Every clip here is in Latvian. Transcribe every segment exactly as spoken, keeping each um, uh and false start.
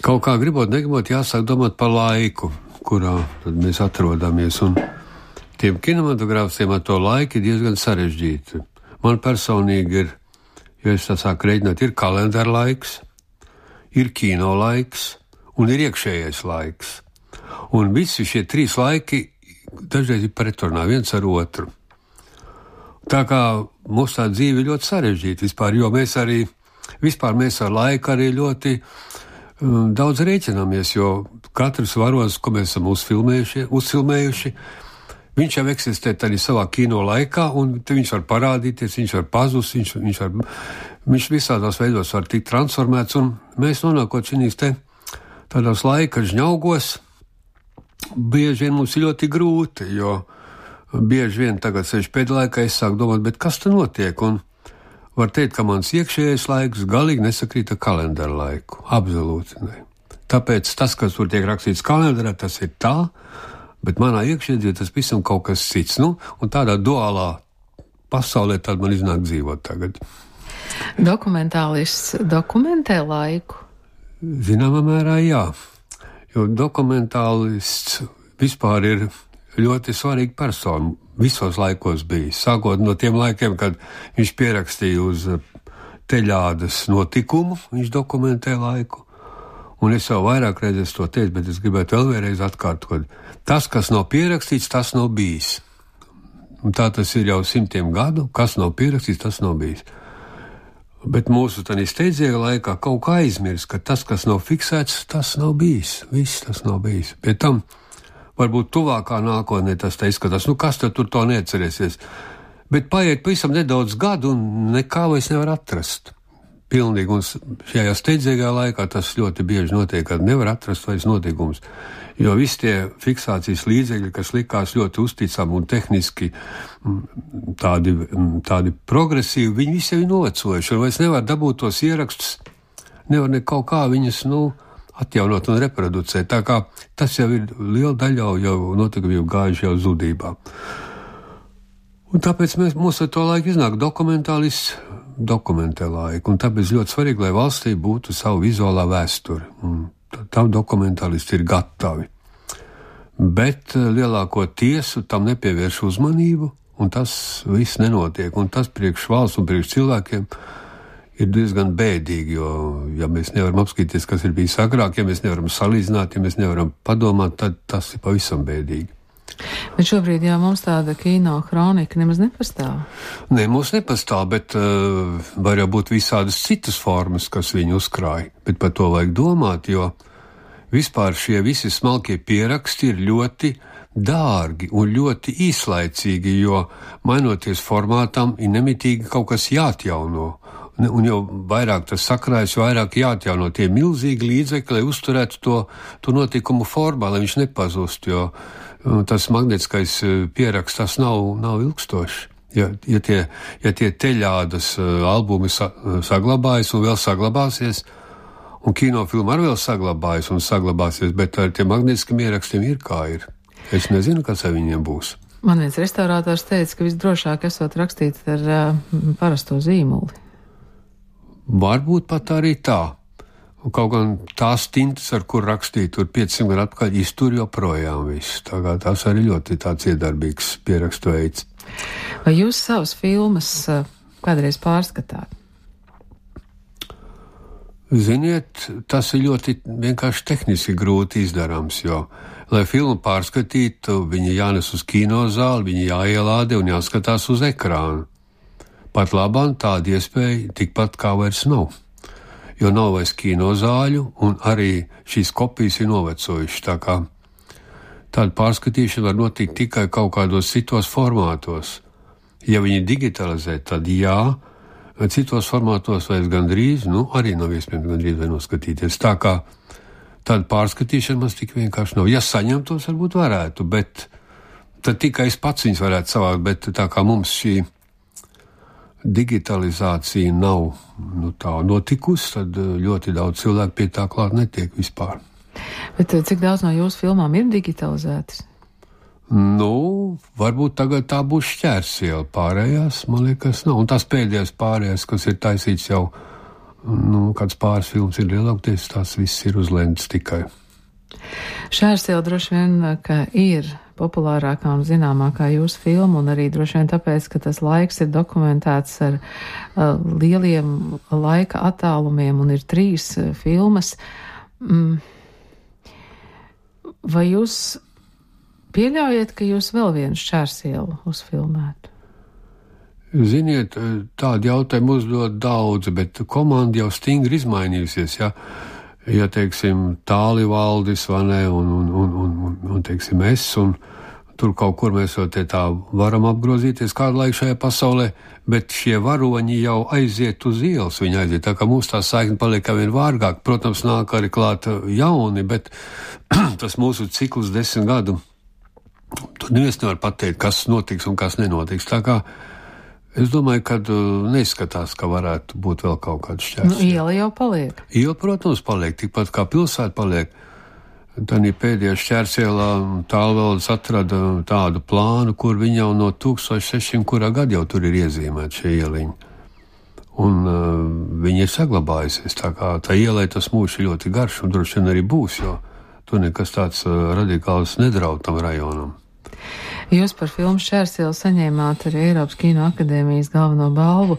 Kaut kā gribot, negribot, jāsāk domāt par laiku, kurā tad mēs atrodamies, un tiem kinematogrāfiem ar to laiku ir diezgan sarežģīti. Man personīgi ir, jo es tā sāku reiķināt, ir kalendāra laiks, ir kino laiks un ir iekšējais laiks. Un visi šie trīs laiki dažreiz ir pretrunā viens ar otru. Tā kā mūsu tā dzīve ir ļoti sarežģīta vispār, jo mēs arī, vispār mēs ar laiku arī ļoti um, daudz rēķināmies, jo katrs varonis, ko mēs esam uzfilmējuši, uzfilmējuši, viņš jau eksistē arī savā kino laikā, un viņš var parādīties, viņš var pazust, viņš, viņš, var, viņš visādos veidos var tikt transformēts, un mēs nonākot šīs te tādos laika žņaugos, bieži vien mums ir ļoti grūti, jo bieži vien tagad seši pēdlaikā es sāku domāt, bet kas te notiek, un var teikt, ka mans iekšējais laiks galīgi nesakrīt ar kalendāra laiku, absolūti ne. Tāpēc tas, kas tur tiek rakstīts kalendārā, tas ir tā, bet manā iekšēdzīvē tas visam kaut kas cits, nu, un tādā duālā pasaulē tad man iznāk dzīvot tagad. Dokumentālists dokumentē laiku? Zināmā mērā jā, jo dokumentālists vispār ir ļoti svarīga persona visos laikos bijis, sākot no tiem laikiem, kad viņš pierakstīja uz teļādas notikumu, viņš dokumentē laiku, un es jau vairāk reizes to teicu, bet es gribētu vēl vienreiz atkārtot. Tas, kas nav pierakstīts, tas nav bijis. Un tā tas ir jau simtiem gadu, kas nav pierakstīts, tas nav bijis. Bet mūsu tādā steidzīgā laikā kaut kā aizmirst, ka tas, kas nav fiksēts, tas nav bijis. Viss tas nav bijis. Pie tam varbūt tuvākā nākotnē tas te izskatās, nu kas tad tur to neatcerēsies. Bet paiet pavisam nedaudz gadu un nekā vairs nevar atrast. Pilnīgi, un šajā steidzīgā laikā tas ļoti bieži notiek, kad nevar atrast vairs notikumus. Jo visi tie fiksācijas līdzekļi, kas likās ļoti uzticami un tehniski tādi, tādi progresīvi, viņi visi jau ir novecojuši, un vairs nevar dabūt tos ierakstus, nevar ne kaut kā viņus, nu, atjaunot un reproducēt. Tā kā tas jau ir liela daļa jau notikumi jau gājuši jau zudībā. Un tāpēc mēs, mums ar to laiku iznāk dokumentālists dokumentē laiku, un tāpēc ļoti svarīgi, lai valstī būtu savu vizuālā vēsture. Un tam dokumentālisti ir gatavi. Bet lielāko tiesu tam nepievērš uzmanību, un tas viss nenotiek. Un tas priekš valsts un priekš cilvēkiem ir diezgan bēdīgi, jo, ja mēs nevaram apskatīties, kas ir bijis agrāk, ja mēs nevaram salīdzināt, ja mēs nevaram padomāt, tad tas ir pavisam bēdīgi. Bet šobrīd jau mums tāda kino kronika nemaz nepastāv. Nē, mums nepastāv, bet uh, var jau būt visādas citas formas, kas viņu uzkrāja. Bet par to vajag domāt, jo vispār šie visi smalkie pieraksti ir ļoti dārgi un ļoti īslaicīgi, jo mainoties formātam ir nemitīgi kaut kas jāatjauno. Un jau vairāk tas sakrājas, vairāk jāatjauno tie milzīgi līdzekļi, lai uzturētu to, to notikumu formā, lai viņš nepazust, jo tas magnetiskais pieraksts, tas nav, nav ilgstošs. Ja, ja, tie, ja tie teļādas albumi sa, saglabājas un vēl saglabāsies, un kinofilma arī vēl saglabājas un saglabāsies, bet ar tiem magnetiskiem ierakstiem ir kā ir. Es nezinu, kas ar viņiem būs. Man viens restaurātors teica, ka visdrošāk esot rakstīt ar uh, parasto zīmuli. Varbūt pat arī tā. Un kaut gan tās tintas, ar kur rakstīt, tur piecsimt gadu atpakaļ, iztur joprojām viss. Tā kā tas arī ļoti tāds iedarbīgs pierakstu veids. Vai jūs savas filmas uh, kādreiz pārskatāt? Ziniet, tas ir ļoti vienkārši tehniski grūti izdarāms, jo, lai filmu pārskatītu, viņi jānes uz kinozāli, viņi jāielāde un jāskatās uz ekrānu. Pat labāk tāda iespēja tikpat kā vairs nav, jo nav vairs kinozāļu un arī šīs kopijas ir novecojušas, tā kā tāda pārskatīšana var notikt tikai kaut kādos citos formātos. Ja viņi digitalizē, tad jā, citos formātos vairs gandrīz, nu, arī nav iespējams gandrīz vai noskatīties. Tā kā tāda pārskatīšana mums tik vienkārši nav. Ja saņemtos, varbūt varētu, bet tad tikai es pats viņus varētu savākt, bet tā kā mums šī digitalizācija nav nu, tā notikusi, tad ļoti daudz cilvēku pie tā klāt netiek vispār. Bet cik daudz no jūsu filmām ir digitalizētas? Nu, varbūt tagad tā būs šķērsiela, pārējās, man liekas, nav. Un tās pēdējās pārējās, kas ir taisīts jau nu, kāds pāris filmas ir lielākoties, tās viss ir uz lentes tikai. Šērsiela droši vien, ka ir populārākā un zināmākā jūsu filma, un arī droši vien tāpēc, ka tas laiks ir dokumentēts ar uh, lieliem laika attālumiem un ir trīs uh, filmas. Mm. Vai jūs pieļaujat, ka jūs vēl vienu Šērsielu uzfilmētu? Ziniet, tādu jautājumu uzdod daudzi, bet komanda jau stingri izmainījusies, ja? Ja, teiksim, Tālivaldis, vai ne, un, un, un, un, un, un teiksim, es, un tur kaut kur mēs jau te tā varam apgrozīties kādu laiku šajā pasaulē, bet šie varoņi jau aiziet uz ielas, viņi aiziet, tā kā mums tā saikne paliek kā vien vārgāk, protams, nāk arī klāt jauni, bet tas mūsu cikls desmit gadu, tur neviens nevar pateikt, kas notiks un kas nenotiks, tā kā es domāju, ka uh, neizskatās, ka varētu būt vēl kaut kāds šķērs. Nu, iela jau paliek. Iela, protams, paliek, tikpat kā pilsēta paliek. Tad pēdējā Šķērsielā Tālvaldes atrada tādu plānu, kur viņi jau no tūkstoš sešsimt kurā gada jau tur ir iezīmēti šie ieliņi. Un uh, viņi ir saglabājusies, tā kā tā ielai tas mūžs ir ļoti garš un droši vien arī būs, jo tur nekas tāds uh, radikāls nedraud tam rajonam. Jūs par filmu Šķērsielu saņēmāt arī Eiropas Kino akadēmijas galveno balvu.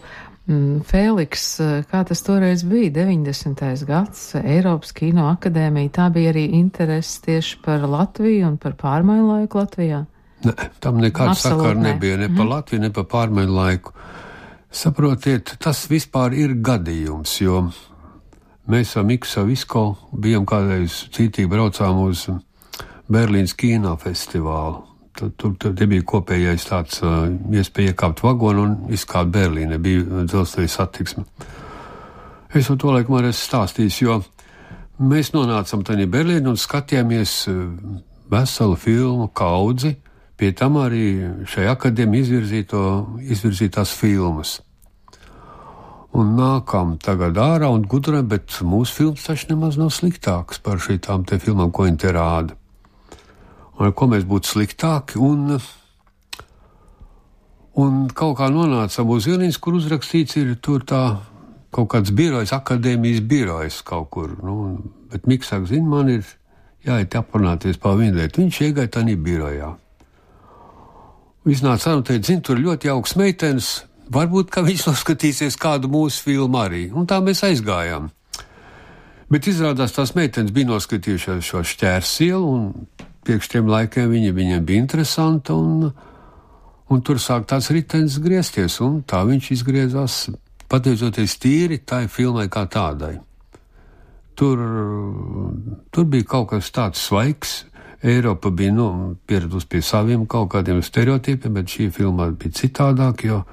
Fēliks, kā tas toreiz bija, deviņdesmitais gads, Eiropas Kino akadēmija, tā bija arī interesi tieši par Latviju un par pārmaiņu laiku Latvijā? Ne, tam nekāda sakara nebija, ne par Latviju, ne par pārmaiņu laiku. Saprotiet, tas vispār ir gadījums, jo mēs ar Miku Savisko bijām kādreiz cītīgi braucām uz Berlīnas kinofestivālu. Tur, tur, tur bija kopējais tāds uh, iespēja iekāpt vagonu un izkāpt Berlīne, bija dzelzceļa satiksme. Es jau to laikam arī stāstījis, jo mēs nonācam tādā Berlīnē un skatījāmies veselu filmu kaudzi, pie tam arī šai akadēmija izvirzītās filmas. Un nākam tagad ārā un gudram, bet mūsu filmas taču nemaz nav sliktākas par šitām te filmām, ko viņi te rāda. Un ko mēs būtu sliktāki, un, un kaut kā nonācam uz ieliņas, kur uzrakstīts ir tur tā kaut kāds birojs, akadēmijas birojs kaut kur, nu, bet Miks saka, zin, man ir jāiet aprunāties pār vienu lietu, viņš iegāja tādā birojā. Iznāca ar un teica, zin, tur ļoti jauks meitenes, varbūt, ka viņš noskatīsies kādu mūsu filmu arī, un tā mēs aizgājām. Bet izrādās tās meitenes bija noskatījušās šo Šķērsielu, un priekš tiem laikiem viņa, viņiem bija interesanta, un, un tur sāk tāds ritenis griezties, un tā viņš izgriezās, pateicoties tīri tai filmai kā tādai. Tur, tur bija kaut kas tāds svaigs, Eiropa bija, nu, pieredus pie saviem kaut kādiem stereotipiem, bet šī filma bija citādāk, jo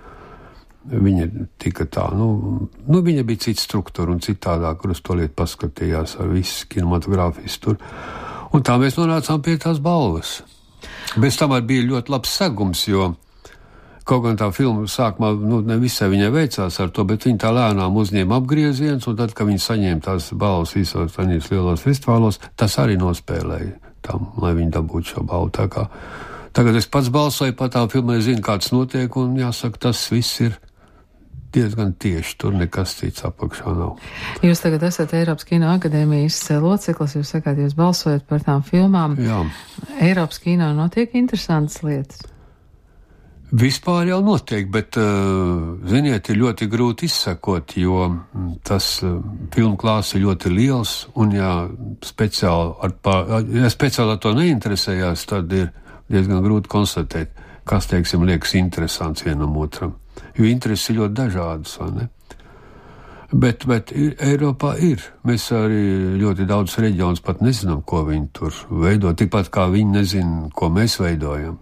viņa tika tā, nu, nu viņa bija cita struktūra un citādāk, kur uz to lietu paskatījās ar visu kinematogrāfijas tur. Un tā mēs nonācām pie tās balvas. Bez tam arī bija ļoti labs segums, jo kaut gan tā filma sākumā, nu, ne visai viņai veicās ar to, bet viņa tā lēnām uzņēma apgrieziens, un tad, kad viņa saņēma tās balvas visos tanīs lielos festivālos, tas arī nospēlēja tam, lai viņi dabūtu šo balvu. Tā kā tagad es pats balsoju par tām filmai, zinu, kāds notiek, un jāsaka, tas viss ir diezgan tieši, tur nekas cits apakšā nav. Jūs tagad esat Eiropas Kino akadēmijas loceklis, jūs sakāt, jūs balsojat par tām filmām. Jā. Eiropas kino notiek interesantas lietas? Vispār jau notiek, bet, ziniet, ir ļoti grūti izsekot, jo tas filmu klāsts ir ļoti liels, un ja speciāli ar, pār, ja speciāli ar to neinteresējās, tad ir diezgan grūti konstatēt, kas, teiksim, liekas interesants vienam otram. Jo intereses ir ļoti dažādas, vai ne? Bet, bet ir, Eiropā ir. Mēs arī ļoti daudz reģionus pat nezinām, ko viņi tur veido, tikpat kā viņi nezina, ko mēs veidojam.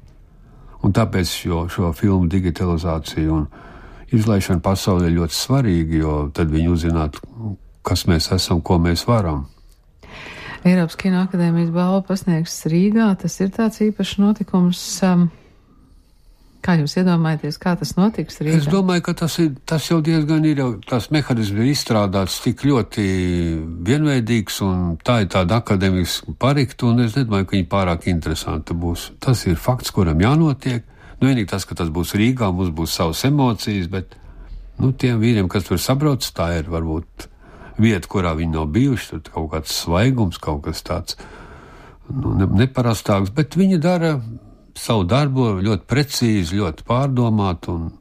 Un tāpēc šo, šo filmu digitalizāciju un izlaišana pasaulē ir ļoti svarīga, jo tad viņi uzzinātu, kas mēs esam, ko mēs varam. Eiropas Kino akadēmijas balva pasniegs Rīgā, tas ir tāds īpašs notikums. Um, Kā jūs iedomājaties, kā tas notiks Rīgā? Es domāju, ka tas, ir, tas jau diezgan ir, jau tās mehanismi ir izstrādāts tik ļoti vienveidīgs, un tā ir tāda akadēmiska parikta, un es nedomāju, ka viņi pārāk interesanti būs. Tas ir fakts, kuram jānotiek. Nu, vienīgi tas, ka tas būs Rīgā, mums būs savas emocijas, bet, nu, tiem vīriem, kas tur sabrauc, tā ir varbūt vieta, kurā viņi nav bijuši, tad kaut kāds svaigums, kaut kas tāds nu, ne, neparastāks, bet viņi dara savu darbu ļoti precīzi, ļoti pārdomāt un,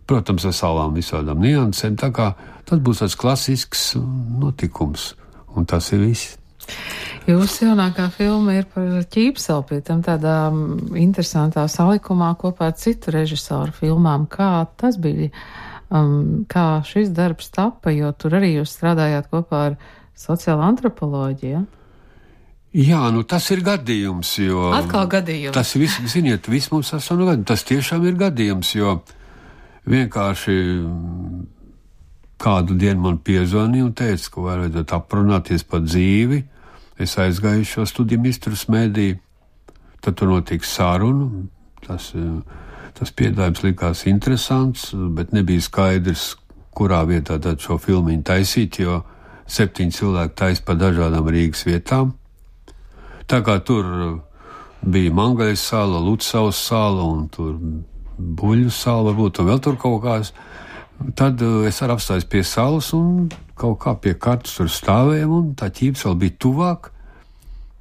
protams, ar savām visādām niansēm, tā kā tas būs tāds klasisks notikums, un tas ir viss. Jūsu jaunākā filma ir par Ķīpsalu, pie tam tādā interesantā salikumā kopā ar citu režisoru filmām. Kā tas bija, um, kā šis darbs tapa, jo tur arī jūs strādājāt kopā ar sociālo antropoloģiju? Jā, nu tas ir gadījums, jo... Atkal gadījums. Tas viss, ziniet, viss mums esam gadījums. Tas tiešām ir gadījums, jo vienkārši kādu dienu man piezvanīja un teica, ka vajadzētu aprunāties par dzīvi. Es aizgāju šo studiju mistrus mēdī, tad tur notika saruna. Tas, tas piedāvājums likās interesants, bet nebija skaidrs, kurā vietā tad šo filmiņu taisīt, jo septiņi cilvēki taisa pa dažādām Rīgas vietām. Tā kā tur bija Mangaļas sala, Lucavas sala un tur Buļļu sala varbūt, un vēl tur kaut kās. Tad es arī apstājos pie salas un kaut kā pie kartas tur stāvējām, un tā Ķīpsala bija tuvāk.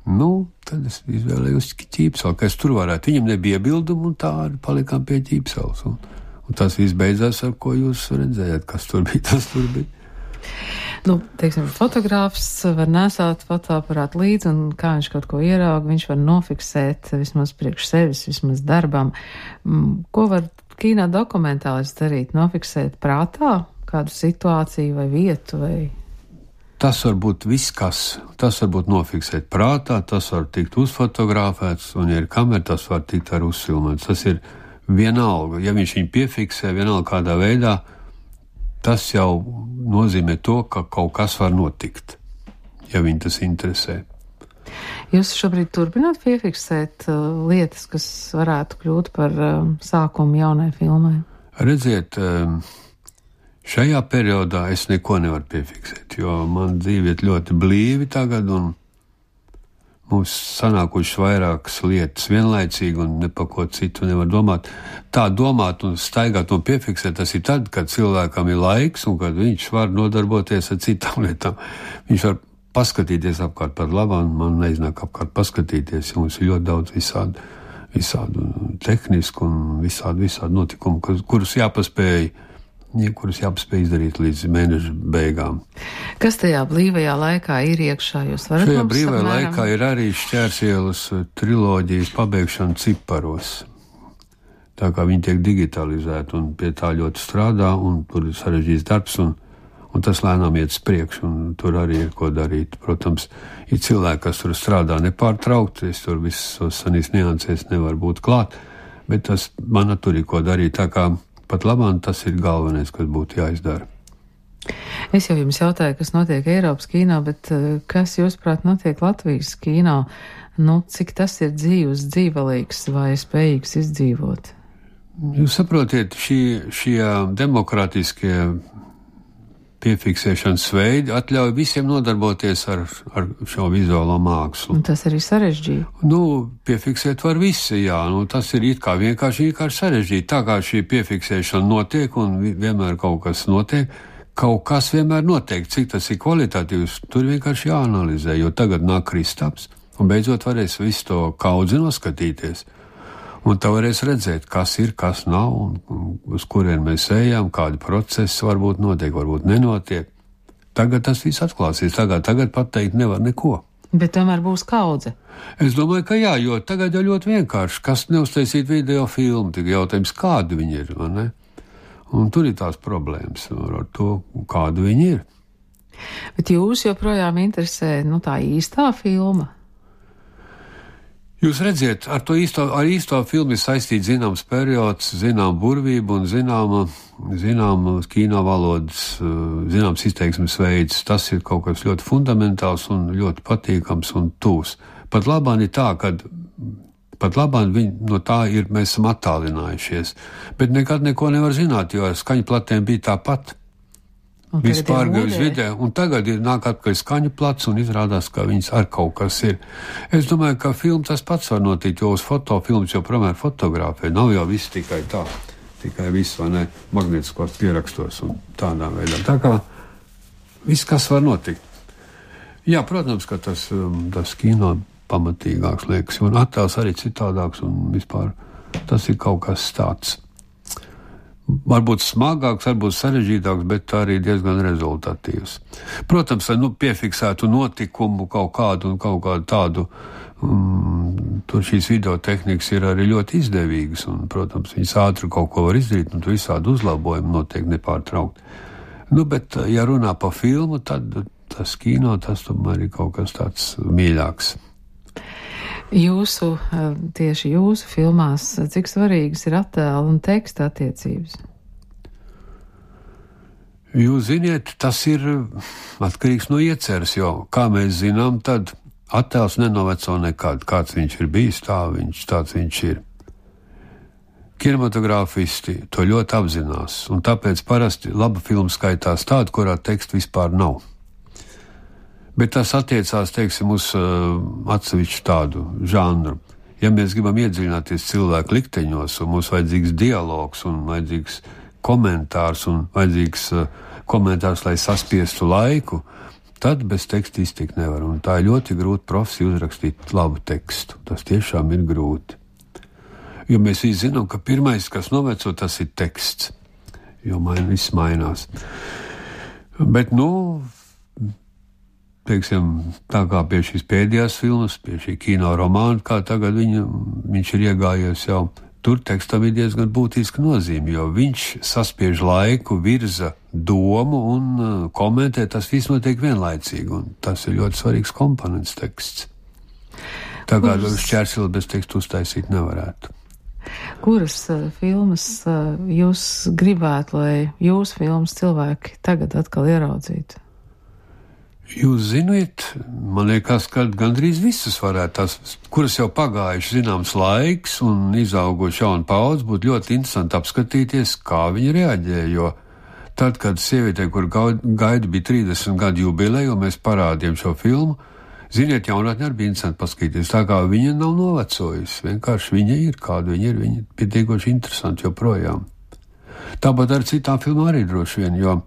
Nu, tad es izvēlējos Ķīpsalu, ka es tur varētu. Viņam nebija iebildumu, un tā arī palikām pie Ķīpsalas. Un, un tas viss beidzās, ar ko jūs redzējāt, kas tur bija, tas tur bija. Nu, teiksim, fotogrāfs var nesāt fotoaparātu līdzi, un kā viņš kaut ko ierauga, viņš var nofiksēt vismaz priekš sevis, vismaz darbam. Ko var kino dokumentālists darīt? Nofiksēt prātā kādu situāciju vai vietu? Vai... Tas var būt viss kas. Tas var būt nofiksēt prātā, tas var tikt uzfotografēts, un ja ir kamera, tas var tikt arī uzfilmēts. Tas ir vienalga. Ja viņš viņu piefiksē vienalga kādā veidā, tas jau nozīmē to, ka kaut kas var notikt, ja viņu tas interesē. Jūs šobrīd turpināt piefiksēt uh, lietas, kas varētu kļūt par uh, sākumu jaunai filmai? Redziet, um, šajā periodā es neko nevaru piefiksēt, jo man dzīve ir ļoti blīvi tagad, un mums sanākušas vairākas lietas vienlaicīgi, un ne par ko citu nevar domāt. Tā domāt un staigāt un piefiksēt, tas ir tad, kad cilvēkam ir laiks, un kad viņš var nodarboties ar citām lietām. Viņš var paskatīties apkārt par labām, man neiznāk apkārt paskatīties, jo mums ir ļoti daudz visādu, visādu tehnisku un visādu, visādu notikumu, kurus jāpaspēj, kurus jāpaspēj izdarīt līdz mēneša beigām. Kas tajā brīvajā laikā ir iekšā? Jūs varat Šajā mums brīvajā apmēram... laikā ir arī Šķērsielas triloģijas pabeigšana ciparos. Tā kā viņi tiek digitalizēti un pie tā ļoti strādā, un tur ir sarežģīts darbs, un, un tas lēnām iet uz priekšu, un tur arī ir ko darīt. Protams, ir cilvēki, kas tur strādā nepārtraukti, es tur visos sanīs niansēs nevar būt klāt, bet tas man tur ir ko darīt, tā kā pat labāk tas ir galvenais, kas būtu jāizdara. Es jau jums jautāju, kas notiek Eiropas kino, bet kas, jūsuprāt, notiek Latvijas kino? Nu, cik tas ir dzīvs, dzīvelīgs vai spējīgs izdzīvot? Jūs saprotiet, šī, šie demokrātiskie piefiksēšanas veidi atļauj visiem nodarboties ar, ar šo vizuālo mākslu. Un tas arī sarežģīti. Nu, piefiksēt var visi, jā. Nu, tas ir it kā vienkārši, vienkārši sarežģīti. Tā kā šī piefiksēšana notiek un vienmēr kaut kas notiek, kaut kas vienmēr notiek. Cik tas ir kvalitatīvs, tur vienkārši jāanalizē, jo tagad nāk Kristaps un beidzot varēs visu to kaudzi noskatīties. Un tā varēs redzēt, kas ir, kas nav, un uz kurien mēs ejam, kādi procesi varbūt notiek, varbūt nenotiek. Tagad tas viss atklāsies, tagad, tagad pateikt nevar neko. Bet tomēr būs kaudze. Es domāju, ka jā, jo tagad jau ļoti vienkārši, kas neuztaisīt video filmu, tik jautājums, kādi viņi ir, vai ne? Un tur ir tās problēmas ar to, kādu viņi ir. Bet jūs joprojām interesē, nu, tā īstā filma? Jūs redziet, ar to īsto, ar īsto filmu ir saistīts zināms periods, zinām burvība un zināma, zināma kino valodas, zināms izteiksmes veids. Tas ir kaut kas ļoti fundamentāls un ļoti patīkams un tūs. Pat labāk ir tā, ka pat labāk viņi no tā ir, mēs esam attālinājušies. Bet nekad neko nevar zināt, jo ar skaņu platēm bija tāpat. Vispār gāja uz video, un tagad ir nāk atpakaļ skaņu plats un izrādās, ka viņas ar kaut kas ir. Es domāju, ka filmu tas pats var notikt, jo uz fotofilmas jau promēr fotografē. Nav jau viss tikai tā, tikai viss, vai ne, magnetiskos pierakstos un tādā veidā. Tā kā viss, kas var notikt. Jā, protams, ka tas, tas kino pamatīgāks liekas, un attēls arī citādāks, un vispār tas ir kaut kas tāds. Varbūt smagāks, varbūt sarežģītāks, bet arī diezgan rezultatīvs. Protams, lai nu, piefiksētu notikumu kaut kādu un kaut kādu tādu, um, tur šīs videotehnikas ir arī ļoti izdevīgas, un, protams, viņas ātri kaut ko var izdarīt, un tur visādi uzlabojumi notiek nepārtraukt. Nu, bet, ja runā pa filmu, tad tas kino, tas tomēr ir kaut kas tāds mīļāks. Jūsu, tieši jūsu filmās, cik svarīgas ir attēla un teksta attiecības? Jūs ziniet, tas ir atkarīgs no ieceres, jo, kā mēs zinām, tad attēls nenoveco nekad. Kāds viņš ir bijis, tā viņš, tāds viņš ir. Kinematogrāfisti to ļoti apzinās, un tāpēc parasti laba filma skaitās tāda, kurā teksta vispār nav. Bet tas attiecās, teiksim, uz uh, atsevišķu tādu žanru. Ja mēs gribam iedziļināties cilvēku likteņos, un mums vajadzīgs dialogs, un vajadzīgs komentārs, un vajadzīgs uh, komentārs, lai saspiestu laiku, tad bez teksta iztikt nevar. Un tā ir ļoti grūti profesija uzrakstīt labu tekstu. Tas tiešām ir grūti. Jo mēs visi zinām, ka pirmais, kas noveco, tas ir teksts. Jo main, viss mainās. Bet, nu... Teiksim, tā kā pie šīs pēdējās filmas, pie šī kino romāna, kā tagad viņa, viņš ir iegājies jau, tur tekstam ir diezgan būtiska nozīme, jo viņš saspiež laiku, virza domu un uh, komentē, tas viss notiek vienlaicīgi, un tas ir ļoti svarīgs komponents teksts. Tā kā Kuras... šķērsili bez tekstu uztaisīt nevarētu. Kuras uh, filmas uh, jūs gribētu, lai jūsu filmas cilvēki tagad atkal ieraudzītu? Jūs ziniet, man liekas, ka gandrīz visas varētu tās, kuras jau pagājuši zināms laiks un izauguši jaunu paudzi, būtu ļoti interesanti apskatīties, kā viņi reaģē, jo tad, kad sievietē, kur gaida bija trīsdesmit gadu jubileju, un mēs parādījām šo filmu, ziniet, jaunatnē arī bija interesanti paskatīties, tā kā viņa nav novecojusi, vienkārši viņa ir, kāda viņa ir, viņa pietiekoši interesanti joprojām. Tāpat ar citām filmām arī droši vien, jo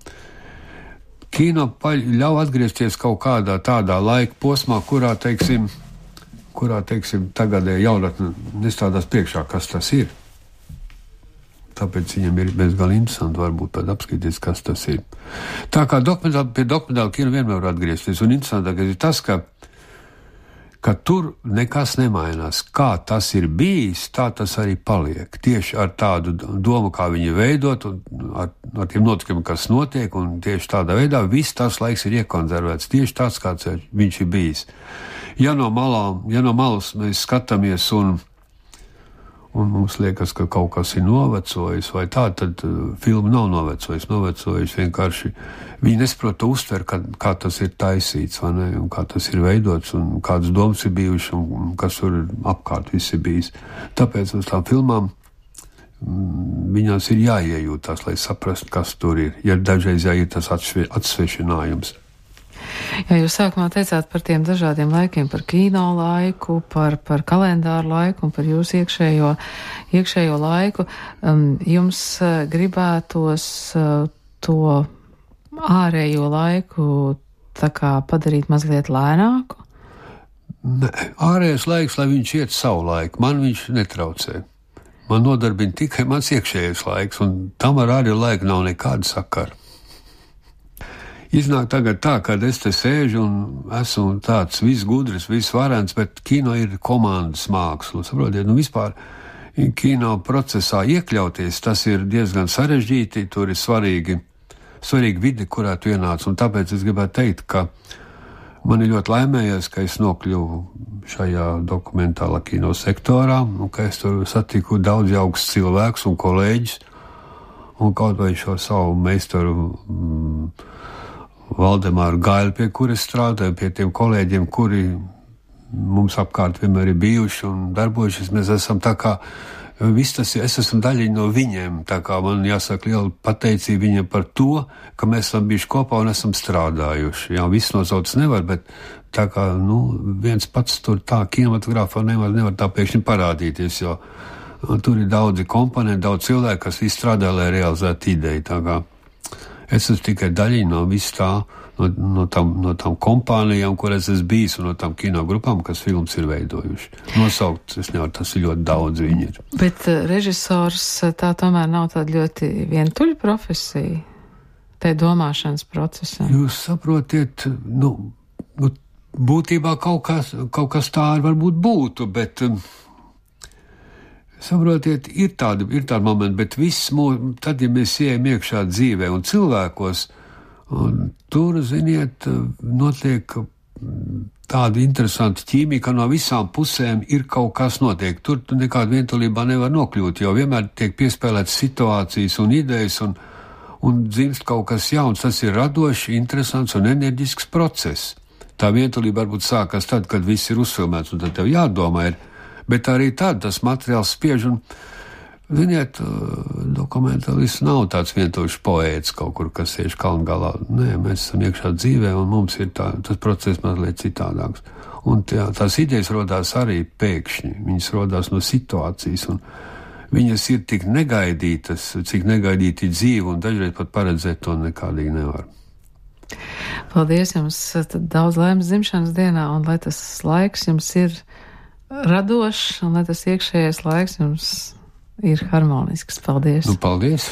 kino ļauj atgriezties kaut kādā tādā laika posmā, kurā, teiksim, kurā, teiksim, tagadēji jaunatne nestādās priekšā, kas tas ir. Tāpēc viņam ir bezgalīgi interesanti varbūt pat apskatīties, kas tas ir. Tā kā dokumentāli, pie dokumentāla kino vienmēr var atgriezties, un interesantākais ir tas, ka, ka tur nekas nemainās. Kā tas ir bijis, tā tas arī paliek. Tieši ar tādu domu, kā viņi veidot, un ar, ar tiem notikumiem, kas notiek, un tieši tādā veidā viss tas laiks ir iekonservēts. Tieši tāds, kāds viņš ir bijis. Ja no malām, ja no malas mēs skatāmies un un mums liekas, ka kaut kas ir novecojis vai tā, tad uh, filma nav novecojis, novecojis vienkārši. Viņi nesaprot to uztver, kā, kā tas ir taisīts, vai ne, un kā tas ir veidots, un kādas domas ir bijušas, un, un kas tur apkārt viss ir bijis. Tāpēc uz tām filmām mm, viņās ir jāiejūtās, lai saprastu, kas tur ir, ja dažreiz jāiet tas atsve, atsvešinājums. Jā, jūs sākumā teicāt par tiem dažādiem laikiem, par kino laiku, par, par kalendāru laiku un par jūsu iekšējo, iekšējo laiku. Um, jums uh, gribētos uh, to ārējo laiku tā kā padarīt mazliet lēnāku? Ne, ārējais laiks, lai viņš iet savu laiku, man viņš netraucē. Man nodarbina tikai mans iekšējais laiks, un tam ar ārējo laiku nav nekāda sakara. Iznāk tagad tā, kad es te sēžu un esmu tāds viss gudrs, viss varens, bet kino ir komandas māksla. Saprotiet, nu vispār kino procesā iekļauties, tas ir diezgan sarežģīti, tur ir svarīgi, svarīgi vide, kurā tu ienāc, un tāpēc es gribētu teikt, ka man ir ļoti laimējies, ka es nokļuvu šajā dokumentālā kino sektorā, un ka es tur satiku daudz jauks cilvēkus un kolēģis, un kaut vai šo savu meistaru mm, Valdemāru Gailu, pie kuras strādāju, pie tiem kolēģiem, kuri mums apkārt vienmēr ir bijuši un darbojušies. Mēs esam tā kā, viss tas, es esmu daļiņa no viņiem, tā kā man jāsaka liela pateicība viņiem par to, ka mēs esam bijuši kopā un esam strādājuši. Jā, viss nosauc nevar, bet tā kā, nu, viens pats tur tā kinematogrāfā nevar, nevar tā pēkšņi parādīties, jo tur ir daudzi komponenti, daudz cilvēku, kas visi strādā, lai realizētu ideju, tā kā. Es esmu tikai daļiņa no viss tā, no, no, tam, no tam kompānijām, kur es esmu bijis, un no tam kino grupām, kas filmas ir veidojuši. Nosaukt, es nevaru, tas ir ļoti daudz viņi ir. Bet uh, režisors tā tomēr nav tāda ļoti vientuļa profesija, tai domāšanas procesā. Jūs saprotiet, nu, nu būtībā kaut kas, kaut kas tā varbūt būtu, bet... Um, Saprotiet, ir tādi, ir tādi momenti, bet viss mūs, tad, ja mēs ejam iekšā dzīvē un cilvēkos, un tur, ziniet, notiek tāda interesanta ķīmija, ka no visām pusēm ir kaut kas notiek. Tur nekāda vientulībā nevar nokļūt, jo vienmēr tiek piespēlētas situācijas un idejas, un, un dzimst kaut kas jauns. Tas ir radošs, interesants un enerģisks process. Tā vientulība varbūt sākas tad, kad viss ir uzfilmēts, un tad tev jādomā ir, bet arī tad tas materiāls spiež, un, ziniet, dokumentālists nav tāds vientuļš poēts kaut kur, kas sēž kalnu galā. Nē, mēs esam iekšā dzīvē, un mums ir tā, tas process mazliet citādāks. Un tā, tās idejas rodās arī pēkšņi, viņas rodās no situācijas, un viņas ir tik negaidītas, cik negaidīti dzīve, un dažreiz pat paredzēt to nekādīgi nevar. Paldies jums, daudz laimes dzimšanas dienā, un lai tas laiks jums ir radošs, un lai tas iekšējais laiks jums ir harmonisks. Paldies! Nu, paldies!